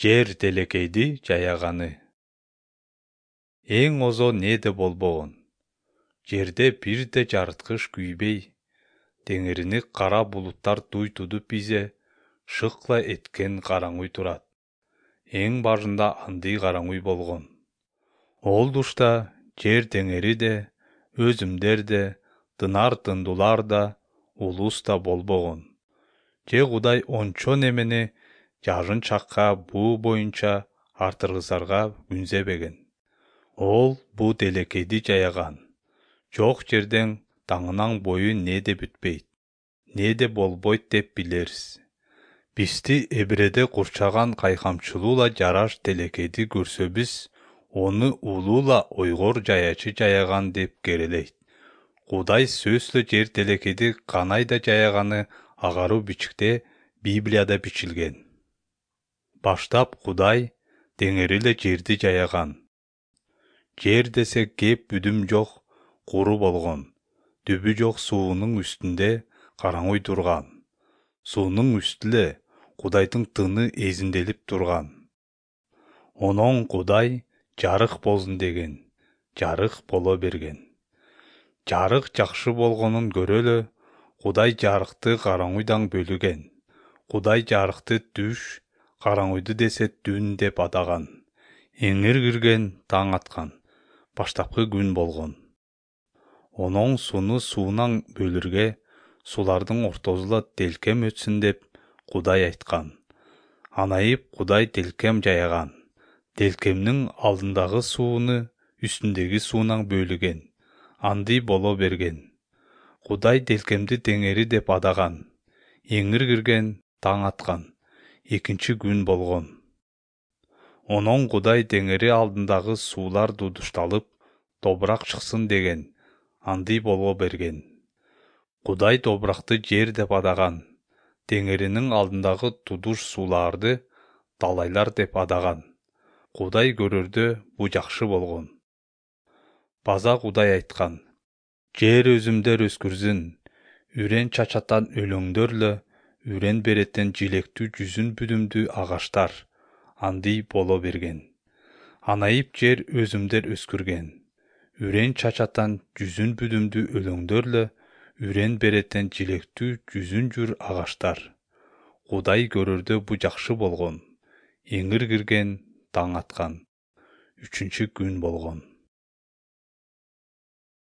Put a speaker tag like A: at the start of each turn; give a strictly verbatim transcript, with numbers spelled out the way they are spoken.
A: Жер телекейди жаяганы. Эң озо неде болбогон. Жерде бирде жарыткыч күйбей, теңирини кара булуттар туй тудуп изе, шыкла эткен караңуй турат. Эң башында андый караңуй болгон. Ол тушта жер теңери де, өзүмдер де, тынар тындулар да, улус да болбогон. Же Кудай ончо немени жарын чакка буу боюнча артыргызарга күнзебеген. Ол буу телекейди жаяган. Жок жерден таңынан бою неде бүтпейт, неде болбойт деп билериз. Бизди эбиреде курчаган кайкамчылуула жараш телекейди көрсөбүз, ону улуула ойгор жаячы жаяган деп керелейт. Кудай сөзсүз жер телекейди канайда жаяганы агаруу бичикте Библияда бичилген. Баштап Кудай теңери эле жерди жаяган. Жер десе кеп бүдүм жок, куру болгон. Түбү жок суунун үстүндө караңуй турган. Суунун үстү эле Кудайдын тыны эзинделип турган. Онон Кудай жарык болсун деген. Жарык боло берген. Жарык жакшы болгонун көрөлү, Кудай жарыкты караңуйдан бөлүген. Кудай жарыкты түш, караңуйду десе түн деп атаган. Эңир кирген, таң аткан. Баштапкы күн болгон. Онон сууну суунан бөлүргө, сулардын ортосуна телкем өтсүн деп Кудай айткан. Анайып Кудай телкем жаяган. Телкемдин алдындагы сууну үстүндөгү суунан бөлүген. Андый боло берген. Кудай телкемди теңери деп атаган. Эңир кирген, таң аткан. Экинчи күн болгон. Онон Кудай теңери алдындагы суулар тудушталып, тобурак чыксын деген. Андый боло берген. Кудай тобуракты жер деп атаган. Теңеринин алдындагы тудуш сууларды талайлар деп атаган. Кудай көрөрдө бу жакшы болгон. База Кудай айткан. Жер өзүмдөр өскүрсүн, үрен чачаттан өлөңдөрлө, үрен береттен жилектүү жүзүн бүдүмдүү агаштар. Андый боло берген. Анайып жер өзүмдөр өскүрген. Үрен чачаттан жүзүн бүдүмдүү өлөңдөрлө, үрен береттен жилектүү жүзүн жүр агаштар. Кудай көрөрдө бу жакшы болгон. Эңир кирген, таң аткан. Үчүнчү күн болгон.